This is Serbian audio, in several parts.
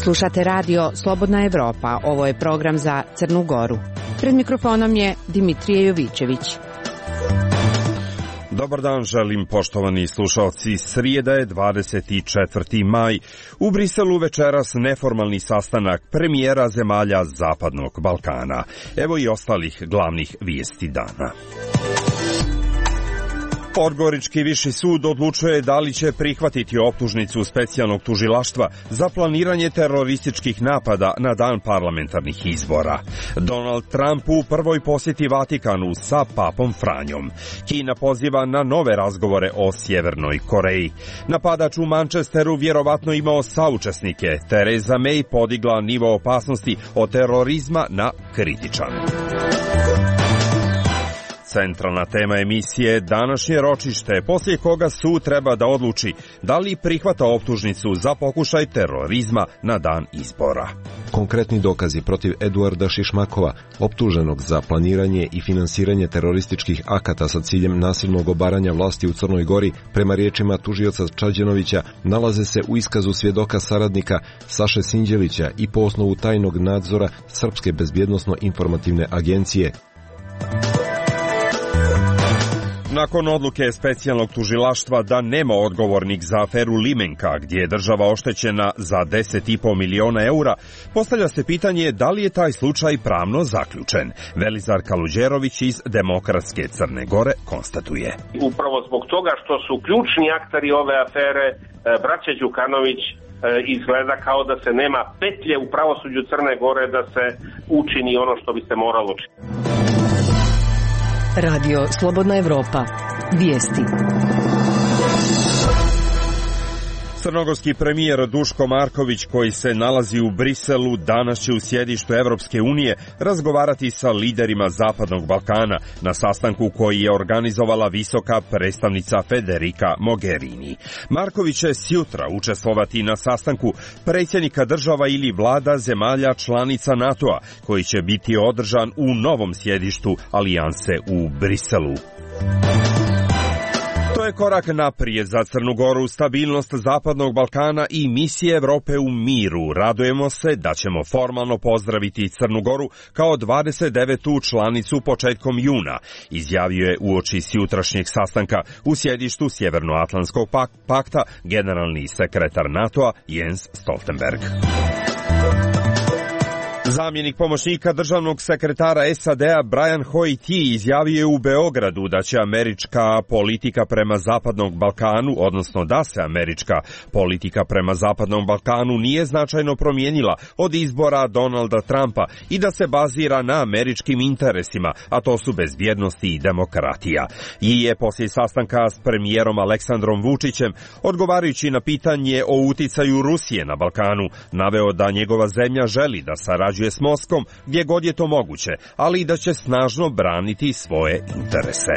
Slušate radio Slobodna Evropa, ovo je program za Crnu Goru. Pred mikrofonom je Dimitrije Jovićević. Dobar dan želim, poštovani slušalci. Srijeda je 24. maj. U Briselu večeras neformalni sastanak premijera zemalja Zapadnog Balkana. Evo i ostalih glavnih vijesti dana. Podgorički viši sud odlučuje da li će prihvatiti optužnicu specijalnog tužilaštva za planiranje terorističkih napada na dan parlamentarnih izbora. Donald Trump u prvoj posjeti Vatikanu sa papom Franjom. Kina poziva na nove razgovore o Sjevernoj Koreji. Napadač u Manchesteru vjerovatno imao saučesnike. Theresa May podigla nivo opasnosti od terorizma na kritičan. Centralna tema emisije današnje ročište, poslije koga sud treba da odluči da li prihvata optužnicu za pokušaj terorizma na dan izbora. Konkretni dokazi protiv Eduarda Šišmakova, optuženog za planiranje i finansiranje terorističkih akata sa ciljem nasilnog obaranja vlasti u Crnoj Gori, prema riječima tužioca Čađenovića, nalaze se u iskazu svjedoka saradnika Saše Sinđelića i po osnovu tajnog nadzora Srpske bezbjednosno-informativne agencije. Nakon odluke specijalnog tužilaštva da nema odgovornik za aferu Limenka, gdje je država oštećena za 10,5 miliona eura, postavlja se pitanje da li je taj slučaj pravno zaključen. Velizar Kaluđerović iz Demokratske Crne Gore konstatuje. Upravo zbog toga što su ključni akteri ove afere, braća Đukanović, izgleda kao da se nema petlje u pravosuđu Crne Gore da se učini ono što bi se moralo učiniti. Radio Slobodna Evropa. Vijesti. Crnogorski premijer Duško Marković, koji se nalazi u Briselu, danas će u sjedištu Evropske unije razgovarati sa liderima Zapadnog Balkana na sastanku koji je organizovala visoka predstavnica Federica Mogherini. Marković će sjutra učestvovati na sastanku predsjednika država ili vlada zemalja članica NATO-a, koji će biti održan u novom sjedištu alijanse u Briselu. To je korak naprijed za Crnu Goru, stabilnost Zapadnog Balkana i misije Evrope u miru. Radujemo se da ćemo formalno pozdraviti Crnu Goru kao 29. članicu početkom juna, izjavio je uoči sjutrašnjeg sastanka u sjedištu Sjevernoatlantskog pakta generalni sekretar NATO-a Jens Stoltenberg. Zamjenik pomoćnika državnog sekretara SAD-a Brian Hoyt izjavio je u Beogradu da će američka politika prema Zapadnom Balkanu, odnosno da se američka politika prema Zapadnom Balkanu nije značajno promijenila od izbora Donalda Trumpa i da se bazira na američkim interesima, a to su bezbjednost i demokratija. I je poslije sastanka s premijerom Aleksandrom Vučićem, odgovarajući na pitanje o uticaju Rusije na Balkanu, naveo da njegova zemlja želi da sarađuje s Moskom gdje god je to moguće, ali i da će snažno braniti svoje interese.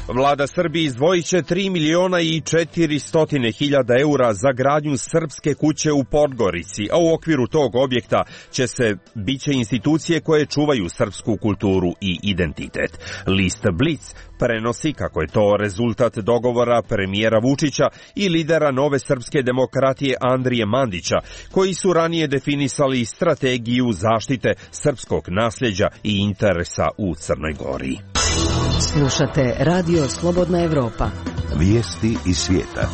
Vlada Srbije izdvojit će 3.400.000 eura za gradnju srpske kuće u Podgorici, a u okviru tog objekta biće institucije koje čuvaju srpsku kulturu i identitet. List Blic prenosi kako je to rezultat dogovora premijera Vučića i lidera Nove srpske demokratije Andrije Mandića, koji su ranije definisali strategiju zaštite srpskog nasljeđa i interesa u Crnoj Gori. Slušate Radio Slobodna Evropa. Vijesti iz svijeta.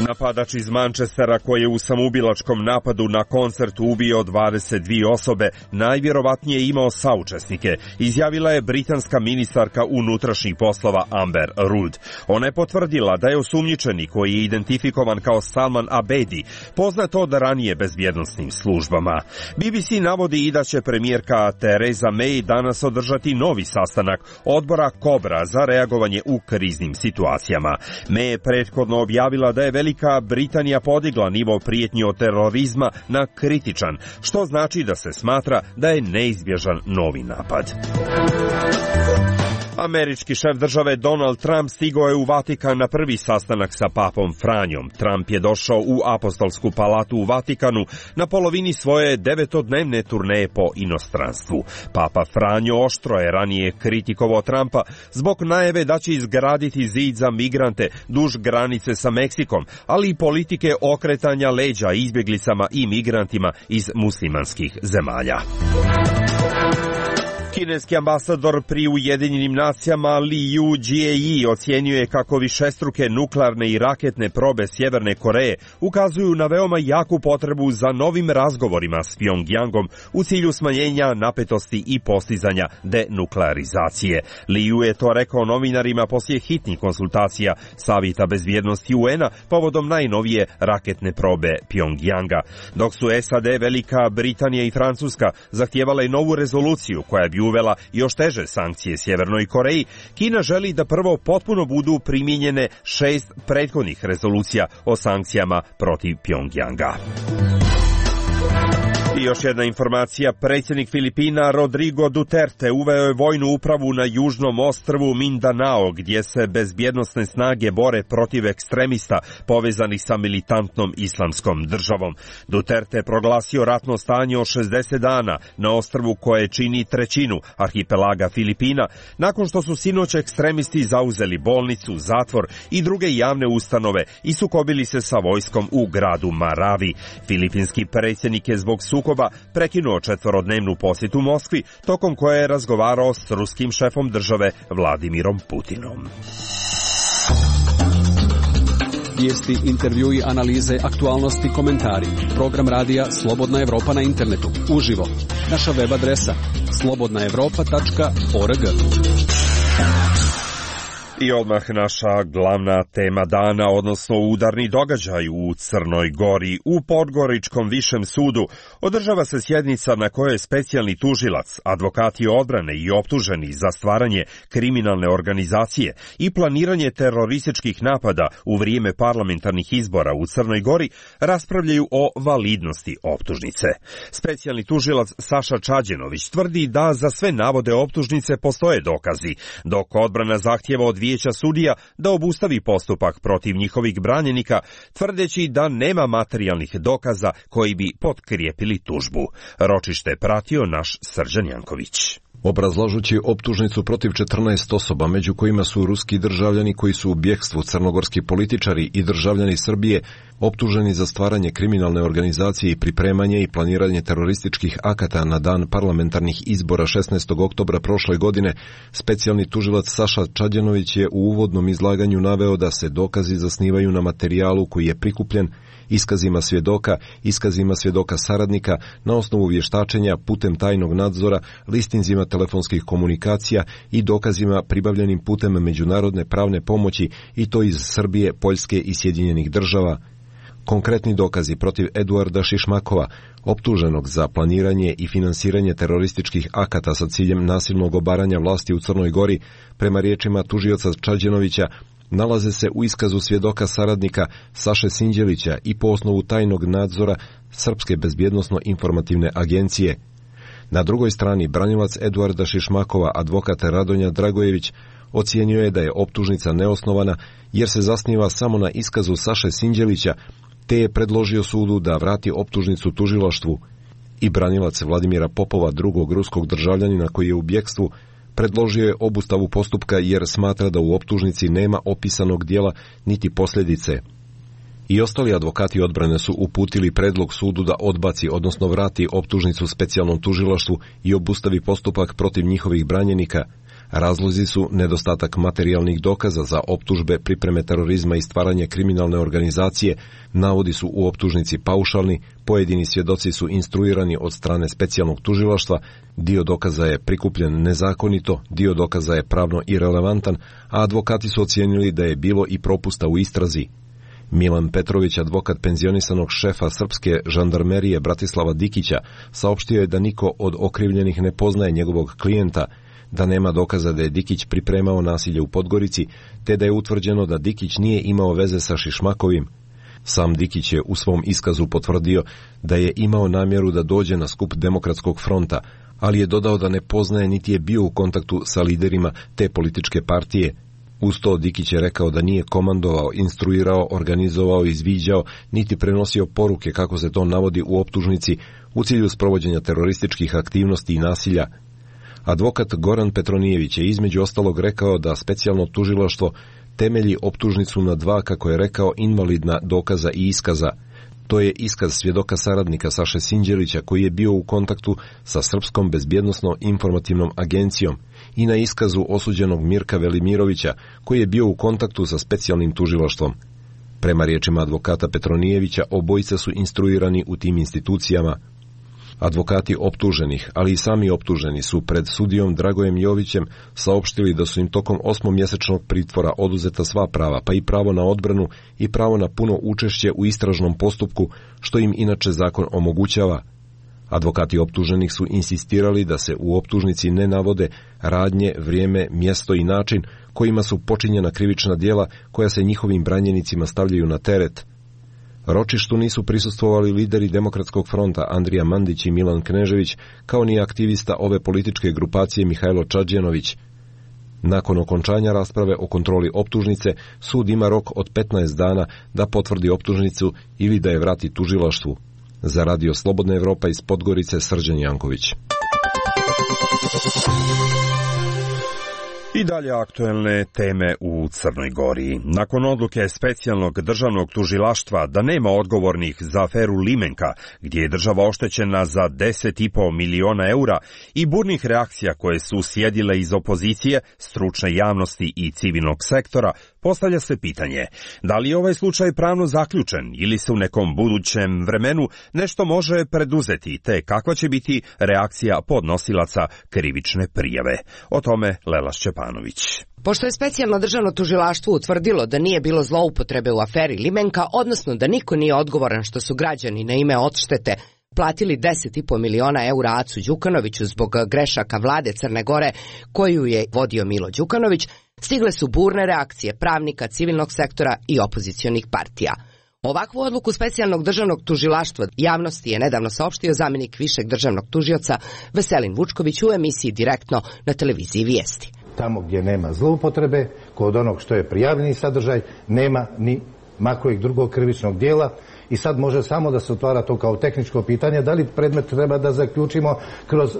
Napadač iz Manchestera koji je u samoubilačkom napadu na koncertu ubio 22 osobe, najvjerovatnije imao saučesnike, izjavila je britanska ministarka unutrašnjih poslova Amber Rudd. Ona je potvrdila da je osumnjičeni, koji je identifikovan kao Salman Abedi, poznat od ranije bezbjednosnim službama. BBC navodi i da će premijerka Theresa May danas održati novi sastanak odbora Kobra za reagovanje u kriznim situacijama. May je prethodno objavila da je Velika Britanija podigla nivo prijetnji od terorizma na kritičan, što znači da se smatra da je neizbježan novi napad. Američki šef države Donald Trump stigao je u Vatikan na prvi sastanak sa papom Franjom. Trump je došao u Apostolsku palatu u Vatikanu na polovini svoje 9-dnevne turneje po inostranstvu. Papa Franjo oštro je ranije kritikovao Trumpa zbog najave da će izgraditi zid za migrante duž granice sa Meksikom, ali i politike okretanja leđa izbjeglicama i migrantima iz muslimanskih zemalja. Kineski ambasador pri Ujedinjenim nacijama Liu Jie ocjenjuje kako višestruke nuklearne i raketne probe Sjeverne Koreje ukazuju na veoma jaku potrebu za novim razgovorima s Pjongjangom u cilju smanjenja napetosti i postizanja denuklearizacije. Liu je to rekao novinarima poslije hitnih konsultacija Savjeta bezbjednosti UN-a povodom najnovije raketne probe Pjongjanga. Dok su SAD, Velika Britanija i Francuska zahtijevale novu rezoluciju koja bi uvela još teže sankcije Sjevernoj Koreji, Kina želi da prvo potpuno budu primijenjene 6 prethodnih rezolucija o sankcijama protiv Pjongjanga. I još jedna informacija, predsjednik Filipina Rodrigo Duterte uveo je vojnu upravu na južnom ostrvu Mindanao, gdje se bezbjednosne snage bore protiv ekstremista povezanih sa militantnom islamskom državom. Duterte je proglasio ratno stanje od 60 dana na ostrvu koje čini trećinu arhipelaga Filipina, nakon što su sinoć ekstremisti zauzeli bolnicu, zatvor i druge javne ustanove i sukobili se sa vojskom u gradu Maravi. Filipinski predsjednik je zbog sukoba prekinuo 4-dnevnu posjetu Moskvi, tokom koje je razgovarao s ruskim šefom države Vladimirom Putinom. Vijesti, intervjui, analize, aktualnosti, komentari. Program radija Slobodna Evropa na internetu. Uživo. Naša web adresa slobodnaevropa.org. I odmah naša glavna tema dana, odnosno udarni događaj u Crnoj Gori. U Podgoričkom višem sudu održava se sjednica na kojoj specijalni tužilac, advokati odbrane i optuženi za stvaranje kriminalne organizacije i planiranje terorističkih napada u vrijeme parlamentarnih izbora u Crnoj Gori raspravljaju o validnosti optužnice. Specijalni tužilac Saša Čađenović tvrdi da za sve navode optužnice postoje dokazi, dok odbrana zahtjeva od vijeća sudija da obustavi postupak protiv njihovih branjenika, tvrdeći da nema materijalnih dokaza koji bi potkrijepili tužbu. Ročište pratio naš Srđan Janković. Obrazlažući optužnicu protiv 14 osoba, među kojima su ruski državljani koji su u bjegstvu, crnogorski političari i državljani Srbije, optuženi za stvaranje kriminalne organizacije i pripremanje i planiranje terorističkih akata na dan parlamentarnih izbora 16. oktobra prošle godine, specijalni tužilac Saša Čađenović je u uvodnom izlaganju naveo da se dokazi zasnivaju na materijalu koji je prikupljen, iskazima svjedoka saradnika, na osnovu vještačenja putem tajnog nadzora, listinzima telefonskih komunikacija i dokazima pribavljenim putem međunarodne pravne pomoći, i to iz Srbije, Poljske i Sjedinjenih Država. Konkretni dokazi protiv Eduarda Šišmakova, optuženog za planiranje i finansiranje terorističkih akata sa ciljem nasilnog obaranja vlasti u Crnoj Gori, prema riječima tužioca Čađenovića, nalaze se u iskazu svjedoka saradnika Saše Sinđelića i po osnovu tajnog nadzora Srpske bezbjednosno-informativne agencije. Na drugoj strani, branilac Eduarda Šišmakova, advokat Radonja Dragojević, ocijenio je da je optužnica neosnovana jer se zasniva samo na iskazu Saše Sinđelića, te je predložio sudu da vrati optužnicu tužilaštvu. I branilac Vladimira Popova, drugog ruskog državljanina koji je u bjegstvu, predložio je obustavu postupka jer smatra da u optužnici nema opisanog dijela niti posljedice. I ostali advokati odbrane su uputili predlog sudu da odbaci, odnosno vrati optužnicu specijalnom tužilaštvu i obustavi postupak protiv njihovih branjenika. Razlozi su nedostatak materijalnih dokaza za optužbe, pripreme terorizma i stvaranje kriminalne organizacije, navodi su u optužnici paušalni, pojedini svjedoci su instruirani od strane specijalnog tužilaštva, dio dokaza je prikupljen nezakonito, dio dokaza je pravno irelevantan, a advokati su ocijenili da je bilo i propusta u istrazi. Milan Petrović, advokat penzionisanog šefa srpske žandarmerije Bratislava Dikića, saopštio je da niko od okrivljenih ne poznaje njegovog klijenta, da nema dokaza da je Dikić pripremao nasilje u Podgorici, te da je utvrđeno da Dikić nije imao veze sa Šišmakovim. Sam Dikić je u svom iskazu potvrdio da je imao namjeru da dođe na skup Demokratskog fronta, ali je dodao da ne poznaje niti je bio u kontaktu sa liderima te političke partije. Uz to Dikić je rekao da nije komandovao, instruirao, organizovao, izviđao, niti prenosio poruke, kako se to navodi u optužnici, u cilju sprovođenja terorističkih aktivnosti i nasilja. Advokat Goran Petronijević je između ostalog rekao da specijalno tužilaštvo temelji optužnicu na dva, kako je rekao, invalidna dokaza i iskaza. To je iskaz svjedoka saradnika Saše Sinđelića, koji je bio u kontaktu sa Srpskom bezbjednosno-informativnom agencijom, i na iskazu osuđenog Mirka Velimirovića, koji je bio u kontaktu sa specijalnim tužilaštvom. Prema riječima advokata Petronijevića, obojica su instruirani u tim institucijama. Advokati optuženih, ali i sami optuženi, su pred sudijom Dragojem Jovićem saopštili da su im tokom 8-mjesečnog pritvora oduzeta sva prava, pa i pravo na odbranu i pravo na puno učešće u istražnom postupku, što im inače zakon omogućava. Advokati optuženih su insistirali da se u optužnici ne navode radnje, vrijeme, mjesto i način kojima su počinjena krivična djela koja se njihovim branjenicima stavljaju na teret. Ročištu nisu prisustvovali lideri Demokratskog fronta Andrija Mandić i Milan Knežević, kao ni aktivista ove političke grupacije Mihajlo Čađenović. Nakon okončanja rasprave o kontroli optužnice, sud ima rok od 15 dana da potvrdi optužnicu ili da je vrati tužilaštvu. Za Radio Slobodna Evropa iz Podgorice, Srđan Janković. I dalje aktuelne teme u Crnoj Gori. Nakon odluke specijalnog državnog tužilaštva da nema odgovornih za aferu Limenka, gdje je država oštećena za 10,5 miliona eura, i burnih reakcija koje su sjedile iz opozicije, stručne javnosti i civilnog sektora, postavlja se pitanje da li je ovaj slučaj pravno zaključen ili se u nekom budućem vremenu nešto može preduzeti, te kakva će biti reakcija podnosilaca krivične prijave. O tome Lela Šćepanović. Pošto je specijalno državno tužilaštvo utvrdilo da nije bilo zloupotrebe u aferi Limenka, odnosno da niko nije odgovoran što su građani na ime odštete platili 10,5 miliona eura Acu Đukanoviću zbog grešaka vlade Crne Gore koju je vodio Milo Đukanović, stigle su burne reakcije pravnika, civilnog sektora i opozicionih partija. Ovakvu odluku specijalnog državnog tužilaštva javnosti je nedavno saopštio zamjenik višeg državnog tužioca Veselin Vučković u emisiji Direktno na televiziji Vijesti. Tamo gdje nema zloupotrebe, kod onog što je prijavljeni sadržaj, nema ni makojeg drugog krivičnog dijela. I sad može samo da se otvara to kao tehničko pitanje, da li predmet treba da zaključimo kroz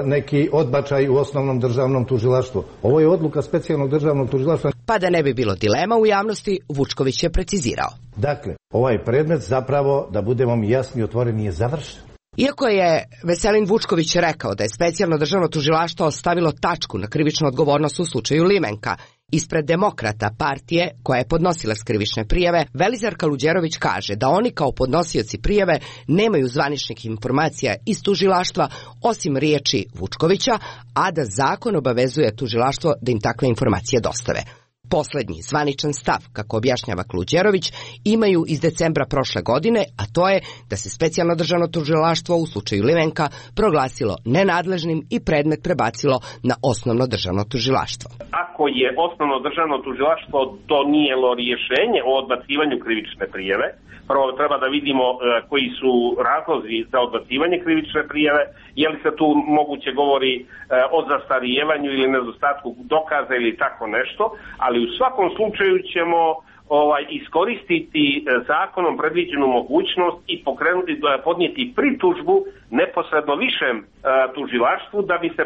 neki odbačaj u osnovnom državnom tužilaštvu. Ovo je odluka specijalnog državnog tužilaštva. Pa da ne bi bilo dilema u javnosti, Vučković je precizirao. Dakle, ovaj predmet zapravo, da budemo mi jasni i otvoreni, je završen. Iako je Veselin Vučković rekao da je specijalno državno tužilaštvo stavilo tačku na krivičnu odgovornost u slučaju Limenka, ispred Demokrata partije koja je podnosila krivične prijave, Velizar Kaluđerović kaže da oni kao podnosioci prijave nemaju zvaničnih informacija iz tužilaštva osim riječi Vučkovića, a da zakon obavezuje tužilaštvo da im takve informacije dostave. Poslednji zvaničan stav, kako objašnjava Kaluđerović, imaju iz decembra prošle godine, a to je da se specijalno državno tužilaštvo u slučaju Limenka proglasilo nenadležnim i predmet prebacilo na osnovno državno tužilaštvo. Ako je osnovno državno tužilaštvo donijelo rješenje o odbacivanju krivične prijave, prvo treba da vidimo koji su razlozi za odbacivanje krivične prijave, je li se tu moguće govori o zastarijevanju ili nedostatku dokaza ili tako nešto, ali u svakom slučaju ćemo iskoristiti zakonom predviđenu mogućnost i podnijeti pritužbu neposredno višem tužilaštvu da bi se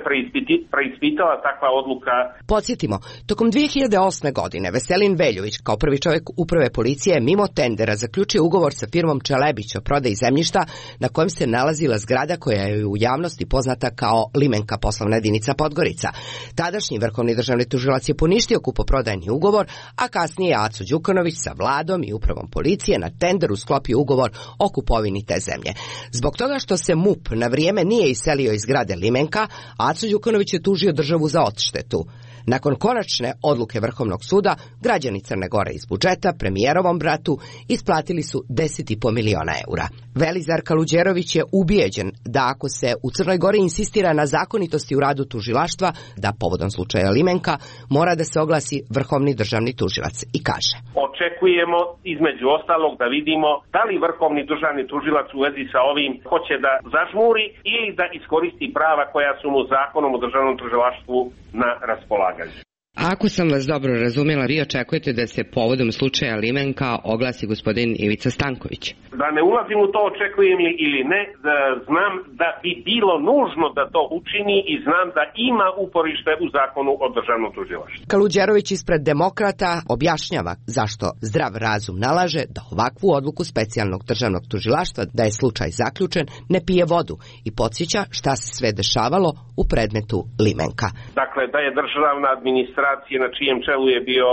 preispitala takva odluka. Podsjetimo, tokom 2008. godine Veselin Veljović kao prvi čovjek uprave policije mimo tendera zaključio ugovor sa firmom Čelebić o prodaji zemljišta na kojem se nalazila zgrada koja je u javnosti poznata kao Limenka poslovna jedinica Podgorica. Tadašnji vrhovni državni tužilac je poništio kupoprodajni ugovor, a kasnije Aco Đukanović sa vladom i upravom policije na tenderu sklopio ugovor o kupovini te zemlje. Zbog toga što se MUP na vrijeme nije iselio iz zgrade Limenka, Aco Đukanović je tužio državu za odštetu. Nakon konačne odluke Vrhovnog suda, građani Crne Gore iz budžeta premijerovom bratu isplatili su 10,5 miliona eura. Velizar Kaluđerović je ubijeđen da ako se u Crnoj Gori insistira na zakonitosti u radu tužilaštva, da povodom slučaja Limenka mora da se oglasi Vrhovni državni tužilac i kaže: Očekujemo između ostalog da vidimo da li Vrhovni državni tužilac u vezi sa ovim hoće da zažmuri ili da iskoristi prava koja su mu zakonom o državnom tužilaštvu na raspolaganju. Ako sam vas dobro razumjela, vi očekujete da se povodom slučaja Limenka oglasi gospodin Ivica Stanković? Da ne ulazim u to očekujem li ili ne, da znam da bi bilo nužno da to učini i znam da ima uporište u zakonu o državnom tužilaštvu. Kaluđerović ispred Demokrata objašnjava zašto zdrav razum nalaže da ovakvu odluku specijalnog državnog tužilaštva, da je slučaj zaključen, ne pije vodu i podsjeća šta se sve dešavalo u predmetu Limenka. Dakle, da je državna administracija na čijem čelu je bio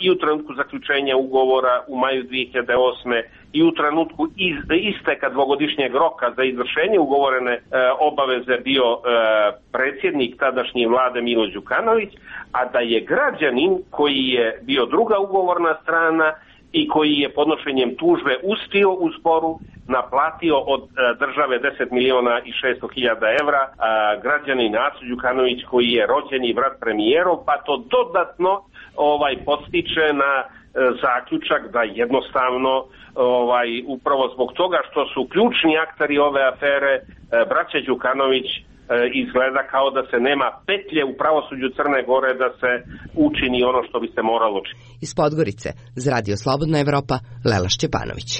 i u trenutku zaključenja ugovora u maju 2008. i u trenutku isteka dvogodišnjeg roka za izvršenje ugovorene obaveze bio predsjednik tadašnje vlade Milo Đukanović, a da je građanin koji je bio druga ugovorna strana i koji je podnošenjem tužbe uspio u sporu naplatio od države 10 miliona i 600 hiljada evra, građanin Aco Đukanović koji je rođeni brat premijerov, pa to dodatno podstiče na zaključak da jednostavno upravo zbog toga što su ključni akteri ove afere braća Đukanović, izgleda kao da se nema petlje u pravosuđu Crne Gore da se učini ono što bi se moralo učiniti. Iz Podgorice, za Radio Slobodna Evropa, Lela Šćepanović.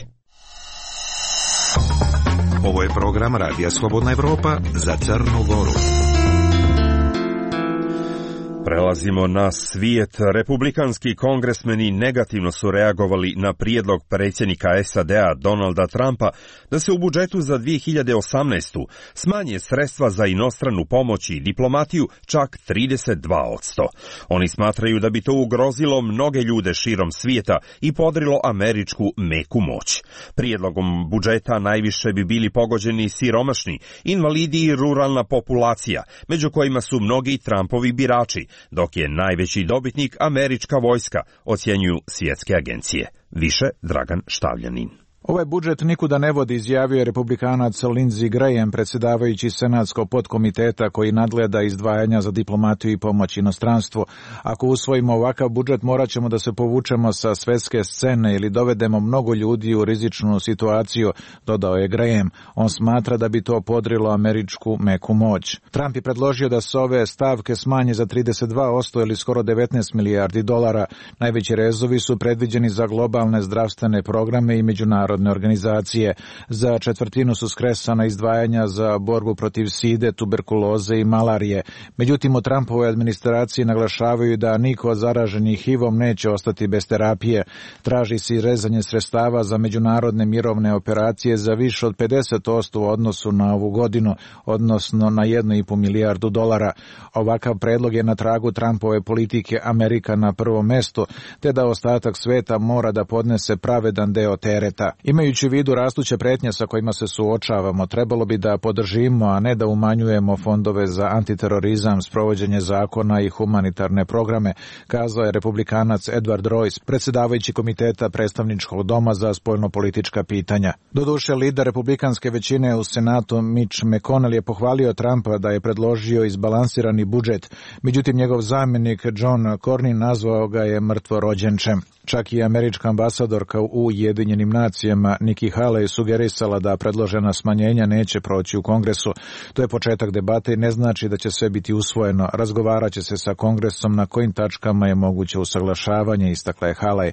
Ovo je program Radija Slobodna Evropa za Crnu Goru. Prelazimo na svijet. Republikanski kongresmeni negativno su reagovali na prijedlog predsjednika SAD-a Donalda Trumpa da se u budžetu za 2018. smanje sredstva za inostranu pomoć i diplomatiju čak 32%. Oni smatraju da bi to ugrozilo mnoge ljude širom svijeta i podrilo američku meku moć. Prijedlogom budžeta najviše bi bili pogođeni siromašni, invalidi i ruralna populacija, među kojima su mnogi Trumpovi birači, dok je najveći dobitnik američka vojska, ocjenjuju svjetske agencije. Više Dragan Štavljanin. Ovaj budžet nikuda ne vodi, izjavio je republikanac Lindsey Graham, predsjedavajući senatskog podkomiteta koji nadgleda izdvajanja za diplomatiju i pomoć inostranstvu. Ako usvojimo ovakav budžet, morat ćemo da se povučemo sa svetske scene ili dovedemo mnogo ljudi u rizičnu situaciju, dodao je Graham. On smatra da bi to podrilo američku meku moć. Trump je predložio da se ove stavke smanje za 32% ili skoro 19 milijardi dolara. Najveći rezovi su predviđeni za globalne zdravstvene programe i međunarodne organizacije. Za četvrtinu su skresana izdvajanja za borbu protiv side, tuberkuloze i malarije. Međutim, u Trumpovoj administraciji naglašavaju da niko od zaraženih HIV-om neće ostati bez terapije. Traži se rezanje sredstava za međunarodne mirovne operacije za više od 50% u odnosu na ovu godinu, odnosno na 1,5 milijardu dolara. Ovakav predlog je na tragu Trumpove politike Amerika na prvom mestu, te da ostatak sveta mora da podnese pravedan deo tereta. Imajući u vidu rastuće pretnje sa kojima se suočavamo, trebalo bi da podržimo, a ne da umanjujemo fondove za antiterorizam, sprovođenje zakona i humanitarne programe, kazao je republikanac Edward Royce, predsjedavajući komiteta predstavničkog doma za spoljnopolitička pitanja. Doduše, lider republikanske većine u Senatu Mitch McConnell je pohvalio Trumpa da je predložio izbalansirani budžet, međutim njegov zamjenik John Cornyn nazvao ga je mrtvorođenčem. Čak i američka ambasadorka u Ujedinjenim nacijama Nikki Haley sugerisala da predložena smanjenja neće proći u Kongresu. To je početak debate i ne znači da će sve biti usvojeno. Razgovarat će se sa Kongresom na kojim tačkama je moguće usaglašavanje, istakla je Haley.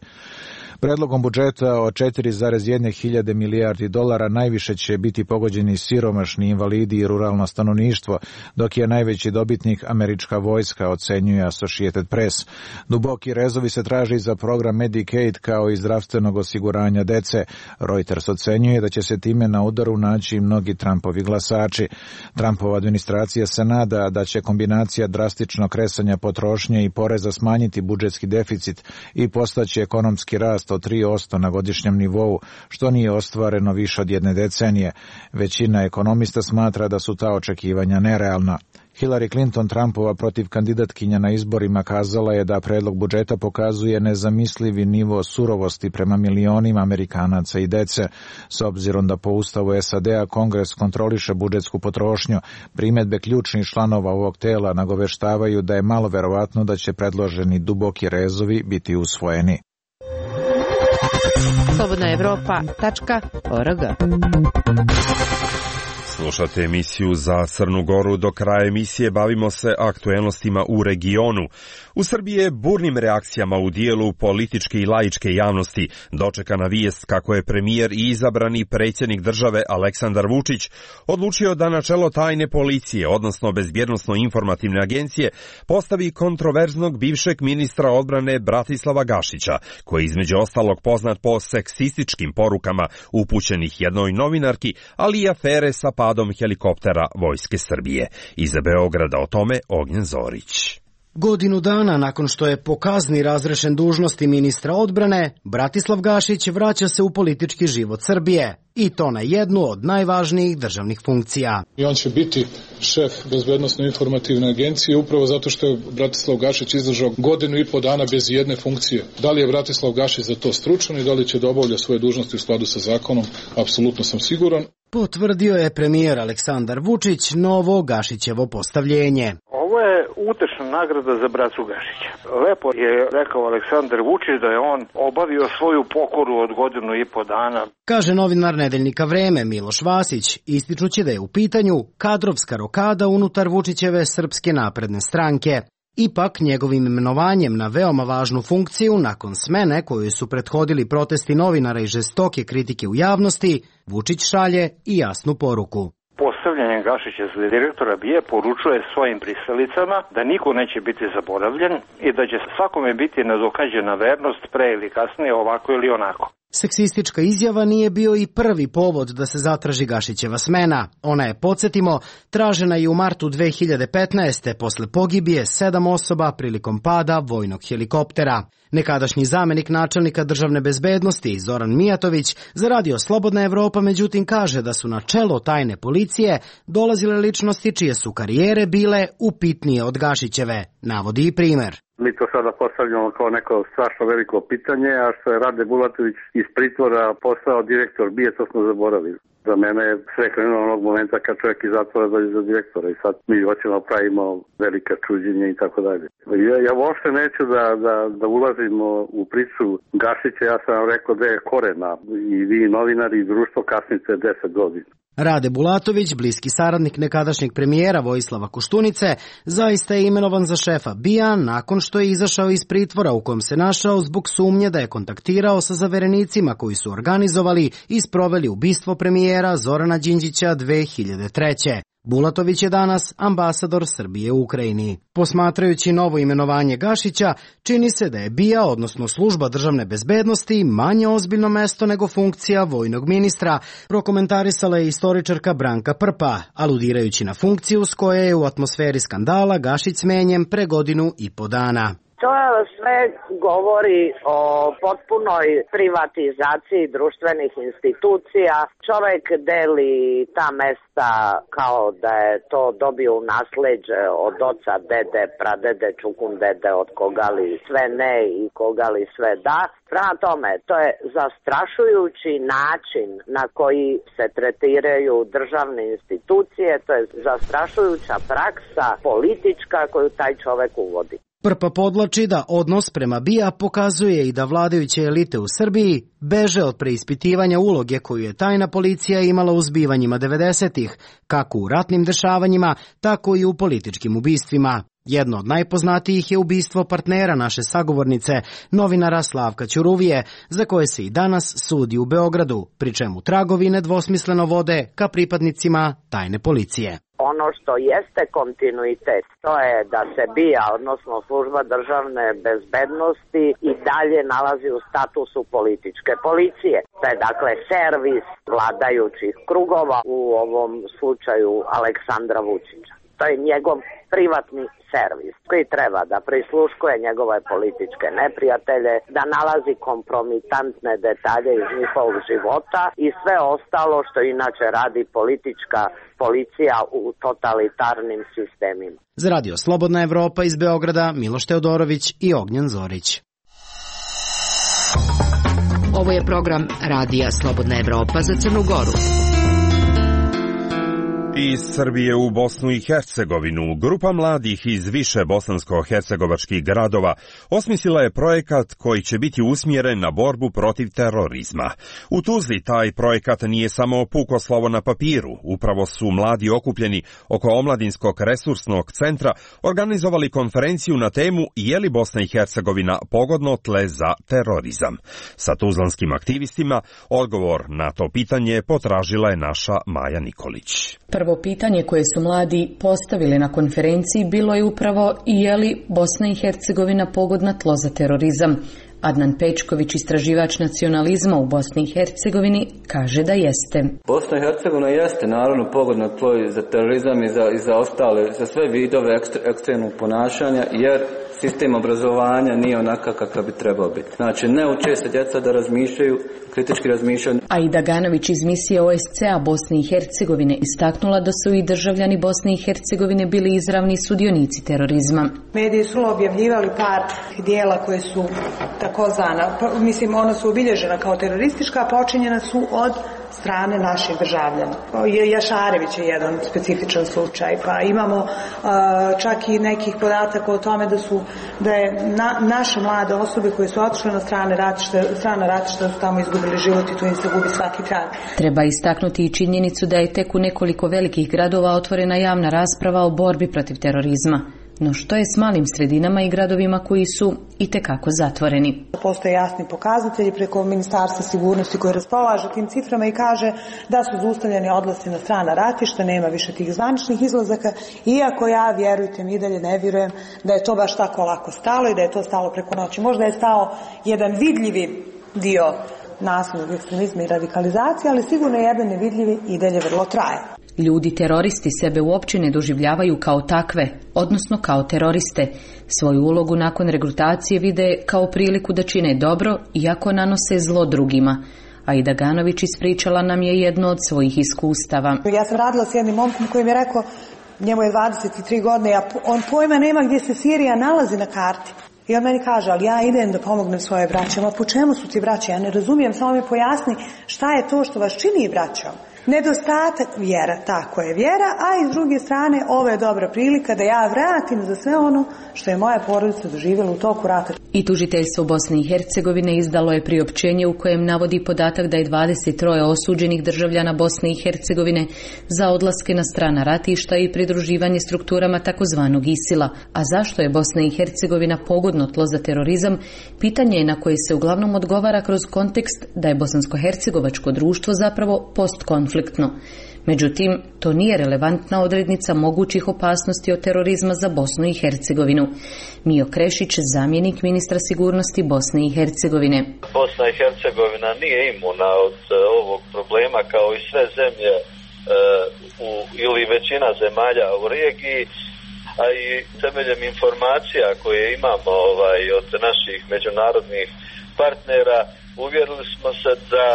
Predlogom budžeta od 4,1 hiljade milijardi dolara najviše će biti pogođeni siromašni, invalidi i ruralno stanovništvo, dok je najveći dobitnik američka vojska, ocenjuje Associated Press. Duboki rezovi se traži za program Medicaid kao i zdravstvenog osiguranja dece. Reuters ocenjuje da će se time na udaru naći mnogi Trumpovi glasači. Trumpova administracija se nada da će kombinacija drastičnog kresanja potrošnje i poreza smanjiti budžetski deficit i postaći ekonomski rast 3% na godišnjem nivou, što nije ostvareno više od jedne decenije. Većina ekonomista smatra da su ta očekivanja nerealna. Hillary Clinton, Trumpova protivkandidatkinja na izborima, kazala je da predlog budžeta pokazuje nezamislivi nivo surovosti prema milionima Amerikanaca i dece. S obzirom da po ustavu SAD-a Kongres kontroliše budžetsku potrošnju, primedbe ključnih članova ovog tela nagoveštavaju da je malo verovatno da će predloženi duboki rezovi biti usvojeni. slobodnaevropa.org. Slušate emisiju za Crnu Goru. Do kraja emisije bavimo se aktuelnostima u regionu. U Srbiji je burnim reakcijama u dijelu političke i laičke javnosti dočekana vijest kako je premijer i izabrani predsjednik države Aleksandar Vučić odlučio da na čelo tajne policije, odnosno bezbjednosno-informativne agencije, postavi kontroverznog bivšeg ministra odbrane Bratislava Gašića, koji je između ostalog poznat po seksističkim porukama upućenih jednoj novinarki, ali i afere sa padom helikoptera Vojske Srbije. Iza Beograda o tome Ognjen Zorić. Godinu dana nakon što je po kazni razrešen dužnosti ministra odbrane, Bratislav Gašić vraća se u politički život Srbije, i to na jednu od najvažnijih državnih funkcija. I on će biti šef bezbednosno-informativne agencije upravo zato što je Bratislav Gašić izdržao godinu i po dana bez jedne funkcije. Da li je Bratislav Gašić za to stručan i da li će da obavlja svoje dužnosti u skladu sa zakonom, apsolutno sam siguran. Potvrdio je premijer Aleksandar Vučić novo Gašićevo postavljenje. Ovo je utešna nagrada za bracu Gašića. Lepo je rekao Aleksandar Vučić da je on obavio svoju pokoru od godinu i po dana. Kaže novinar nedeljnika Vreme Miloš Vasić, ističući da je u pitanju kadrovska rokada unutar Vučićeve Srpske napredne stranke. Ipak, njegovim imenovanjem na veoma važnu funkciju, nakon smene koju su prethodili protesti novinara i žestoke kritike u javnosti, Vučić šalje i jasnu poruku. Postavljanjem Gašića za direktora BIA poručuje svojim pristalicama da niko neće biti zaboravljen i da će svakome biti nadokađena vernost pre ili kasnije, ovako ili onako. Seksistička izjava nije bio i prvi povod da se zatraži Gašićeva smena. Ona je, podsjetimo, tražena i u martu 2015. posle pogibije 7 osoba prilikom pada vojnog helikoptera. Nekadašnji zamenik načelnika državne bezbednosti Zoran Mijatović za radio Slobodna Evropa međutim kaže da su na čelo tajne policije dolazile ličnosti čije su karijere bile upitnije od Gašićeve. Navodi i primer. Mi to sada postavljamo kao neko strašno veliko pitanje, a što je Rade Bulatović iz pritvora postao direktor BIA, to smo zaboravili. Za mene je sve krenulo onog momenta kad čovjek iz zatvora dođe za direktora i sad mi hoćemo pravimo velika čuđenja i tako dalje. Ja uopšte neću da ulazimo u priču Gašića, ja sam vam rekao da je korena i vi novinari i društvo kasnite 10 godina. Rade Bulatović, bliski saradnik nekadašnjeg premijera Vojislava Koštunice, zaista je imenovan za šefa BIA nakon što je izašao iz pritvora u kojem se našao zbog sumnje da je kontaktirao sa zaverenicima koji su organizovali i sproveli ubistvo premijera Zorana Đinđića 2003. Bulatović je danas ambasador Srbije u Ukrajini. Posmatrajući novo imenovanje Gašića, čini se da je BIA, odnosno služba državne bezbednosti, manje ozbiljno mesto nego funkcija vojnog ministra, prokomentarisala je istoričarka Branka Prpa, aludirajući na funkciju s koje je u atmosferi skandala Gašić smenjen pre godinu i po dana. To sve govori o potpunoj privatizaciji društvenih institucija. Čovjek deli ta mesta kao da je to dobio u nasleđe od oca, dede, pradede, čukun dede, od koga li sve ne i koga li sve da. Prema tome, to je zastrašujući način na koji se tretiraju državne institucije, to je zastrašujuća praksa politička koju taj čovjek uvodi. Prpa podlači da odnos prema BIA pokazuje i da vladajuće elite u Srbiji beže od preispitivanja uloge koju je tajna policija imala u zbivanjima 90-ih, kako u ratnim dešavanjima, tako i u političkim ubistvima. Jedno od najpoznatijih je ubistvo partnera naše sagovornice, novinara Slavka Ćuruvije, za koje se i danas sudi u Beogradu, pri čemu tragovi nedvosmisleno vode ka pripadnicima tajne policije. Ono što jeste kontinuitet, to je da se BIA, odnosno služba državne bezbednosti, i dalje nalazi u statusu političke policije. To je dakle servis vladajućih krugova, u ovom slučaju Aleksandra Vučića. To je njegov privatni servis koji treba da prisluškuje njegove političke neprijatelje, da nalazi kompromitantne detalje iz njihovog života i sve ostalo što inače radi politička policija u totalitarnim sistemima. Za Radio Slobodna Evropa iz Beograda, Miloš Teodorović i Ognjen Zorić. Ovo je program Radija Slobodna Evropa za Crnu Goru. Iz Srbije u Bosnu i Hercegovinu grupa mladih iz više bosansko-hercegovačkih gradova osmislila je projekat koji će biti usmjeren na borbu protiv terorizma. U Tuzli taj projekat nije samo puko slovo na papiru. Upravo su mladi okupljeni oko omladinskog resursnog centra organizovali konferenciju na temu je li Bosna i Hercegovina pogodno tle za terorizam. Sa tuzlanskim aktivistima odgovor na to pitanje potražila je naša Maja Nikolić. Prvo pitanje koje su mladi postavili na konferenciji bilo je upravo je li Bosna i Hercegovina pogodna tlo za terorizam. Adnan Pečković, istraživač nacionalizma u Bosni i Hercegovini, kaže da jeste. Bosna i Hercegovina jeste naravno pogodno tlo za terorizam i za ostale, za sve vidove ekstremnog ponašanja, jer sistem obrazovanja nije onakav kakav bi trebao biti. Znači, ne uče se djeca da razmišljaju, kritički razmišljaju. Aida Ganović iz misije OSCE-a Bosne i Hercegovine istaknula da su i državljani Bosne i Hercegovine bili izravni sudionici terorizma. Mediji su objavljivali par dijela koje su takozvana, mislim, ona su obilježena kao teroristička, a počinjena su od strane naših državljana. Jašarević je jedan specifičan slučaj, pa imamo čak i nekih podataka o tome da je naše mlade osobe koje su otišle na strana ratišta su tamo izgubili život i tu im se gubi svaki trag. Treba istaknuti i činjenicu da je tek u nekoliko velikih gradova otvorena javna rasprava o borbi protiv terorizma. No što je s malim sredinama i gradovima koji su itekako zatvoreni? Postoje jasni pokazatelji preko Ministarstva sigurnosti koji raspolaže tim ciframa i kaže da su zaustavljeni odlasci na strana ratišta, nema više tih zvaničnih izlazaka, iako ja, vjerujte mi, i dalje ne vjerujem da je to baš tako lako stalo i da je to stalo preko noći. Možda je stao jedan vidljivi dio nasilnog ekstremizma i radikalizacije, ali sigurno jedan nevidljivi i dalje vrlo traje. Ljudi teroristi sebe uopće ne doživljavaju kao takve, odnosno kao teroriste. Svoju ulogu nakon regrutacije vide kao priliku da čine dobro, iako nanose zlo drugima. Aida Ganović ispričala nam je jedno od svojih iskustava. Ja sam radila s jednim momkom koji mi je rekao, njemu je 23 godine, on pojma nema gdje se Sirija nalazi na karti. I on meni kaže, ali ja idem da pomognem svoje braće. Ma po čemu su ti braće? Ja ne razumijem, samo mi pojasni šta je to što vas čini braćom. Nedostatak vjera, tako je vjera, a i s druge strane ovo je dobra prilika da ja vratim za sve ono što je moja porodica doživjela u toku rata. I tužiteljstvo Bosne i Hercegovine izdalo je priopćenje u kojem navodi podatak da je 23 osuđenih državljana Bosne i Hercegovine za odlaske na strana ratišta i pridruživanje strukturama takozvanog ISIL-a. A zašto je Bosna i Hercegovina pogodno tlo za terorizam? Pitanje je na koje se uglavnom odgovara kroz kontekst da je bosansko-hercegovačko društvo zapravo postkonfliktno. Međutim, to nije relevantna odrednica mogućih opasnosti od terorizma za Bosnu i Hercegovinu. Mio Krešić, zamjenik ministra sigurnosti Bosne i Hercegovine. Bosna i Hercegovina nije imuna od ovog problema kao i sve zemlje ili većina zemalja u regiji, a i temeljem informacija koje imamo od naših međunarodnih partnera, uvjerili smo se da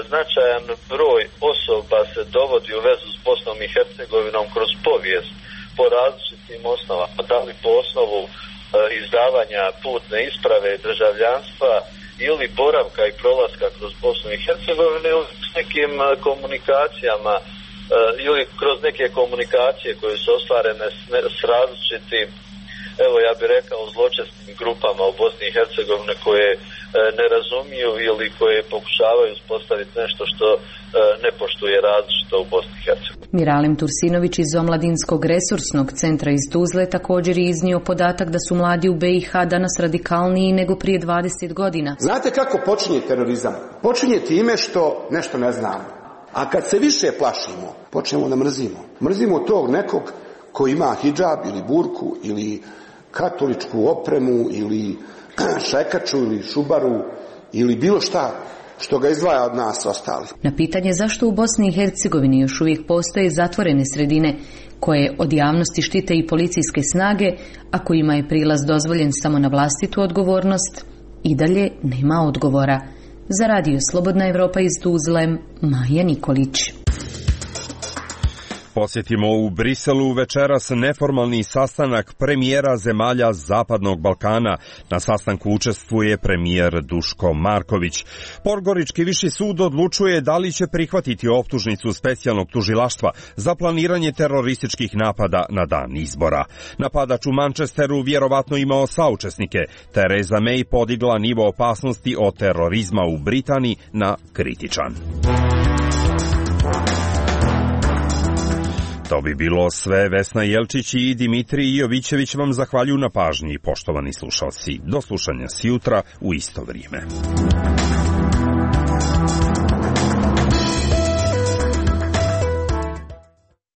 značajan broj osoba se dovodi u vezu s Bosnom i Hercegovinom kroz povijest po različitim osnovama, da li po osnovu izdavanja putne isprave državljanstva ili boravka i prolaska kroz Bosnu i Hercegovinu ili s nekim komunikacijama ili kroz neke komunikacije koje su ostvarene s različitim, evo ja bih rekao, zločesnim grupama u Bosni i Hercegovini koje ne razumiju ili koje pokušavaju uspostaviti nešto što ne poštuje različito u Bosni i Hercegovini. Miralim Tursinović iz Omladinskog resursnog centra iz Tuzle također je iznio podatak da su mladi u BiH danas radikalniji nego prije 20 godina. Znate kako počinje terorizam? Počinje time što nešto ne znamo. A kad se više plašimo, počnemo da mrzimo. Mrzimo tog nekog ko ima hidžab ili burku ili katoličku opremu ili šajkaču ili šubaru ili bilo šta. što ga izdvaja od nas ostali. Na pitanje zašto u Bosni i Hercegovini još uvijek postoje zatvorene sredine koje od javnosti štite i policijske snage, a kojima je prilaz dozvoljen samo na vlastitu odgovornost, i dalje nema odgovora. Za Radio Slobodna Evropa iz Tuzle, Maja Nikolić. Posjetimo u Briselu večeras neformalni sastanak premijera zemalja Zapadnog Balkana. Na sastanku učestvuje premijer Duško Marković. Podgorički viši sud odlučuje da li će prihvatiti optužnicu specijalnog tužilaštva za planiranje terorističkih napada na dan izbora. Napadač u Manchesteru vjerovatno imao saučesnike. Theresa May podigla nivo opasnosti od terorizma u Britaniji na kritičan. To bi bilo sve. Vesna Jelčić i Dimitrij Jovićević vam zahvaljuju na pažnji, poštovani slušalci. Do slušanja sjutra u isto vrijeme.